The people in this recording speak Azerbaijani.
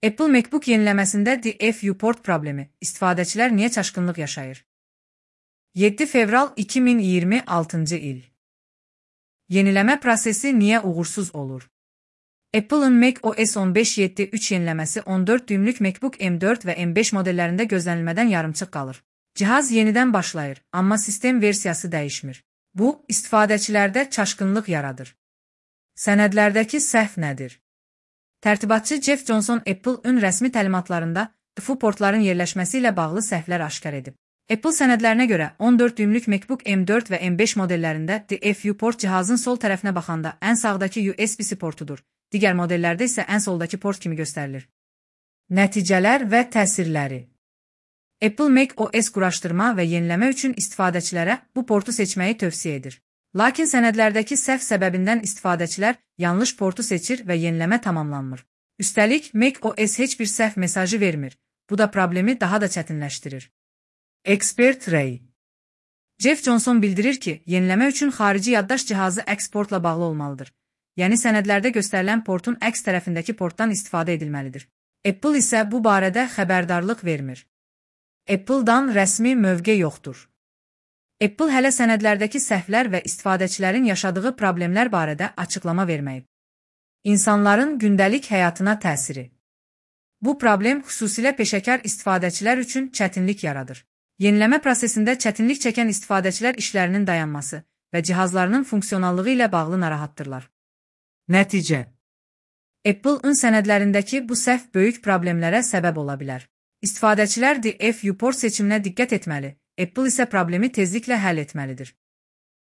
Apple MacBook yeniləməsində DFU port problemi, istifadəçilər niyə çaşqınlıq yaşayır? 7 fevral 2026 il. Yeniləmə prosesi niyə uğursuz olur? Apple'ın macOS 15.7.3 yeniləməsi 14 düymlük MacBook M4 və M5 modellərində gözlənilmədən yarımçıq qalır. Cihaz yenidən başlayır, amma sistem versiyası dəyişmir. Bu, istifadəçilərdə çaşqınlıq yaradır. Sənədlərdəki səhv nədir? Tərtibatçı Jeff Johnson Apple-ın rəsmi təlimatlarında DFU portların yerləşməsi ilə bağlı səhvlər aşkar edib. Apple sənədlərinə görə 14 düymlük MacBook M4 və M5 modellərində DFU port cihazın sol tərəfinə baxanda ən sağdakı USB-C portudur. Digər modellərdə isə ən soldakı port kimi göstərilir. Nəticələr və təsirləri. Apple macOS quraşdırma və yeniləmə üçün istifadəçilərə bu portu seçməyi tövsiyə edir. Lakin sənədlərdəki səhv səbəbindən istifadəçilər yanlış portu seçir və yeniləmə tamamlanmır. Üstəlik, macOS heç bir səhv mesajı vermir. Bu da problemi daha da çətinləşdirir. Expert Ray. Jeff Johnson bildirir ki, yeniləmə üçün xarici yaddaş cihazı əks portla bağlı olmalıdır. Yəni sənədlərdə göstərilən portun əks tərəfindəki portdan istifadə edilməlidir. Apple isə bu barədə xəbərdarlıq vermir. Apple-dan rəsmi mövqe yoxdur. Apple hələ sənədlərdəki səhvlər və istifadəçilərin yaşadığı problemlər barədə açıqlama verməyib. İnsanların gündəlik həyatına təsiri. Bu problem xüsusilə peşəkar istifadəçilər üçün çətinlik yaradır. Yeniləmə prosesində çətinlik çəkən istifadəçilər işlərinin dayanması və cihazlarının funksionallığı ilə bağlı narahatdırlar. Nəticə. Apple-ın sənədlərindəki bu səhv böyük problemlərə səbəb ola bilər. İstifadəçilər DFU port seçiminə diqqət etməli, Apple isə problemi tezliklə həll etməlidir.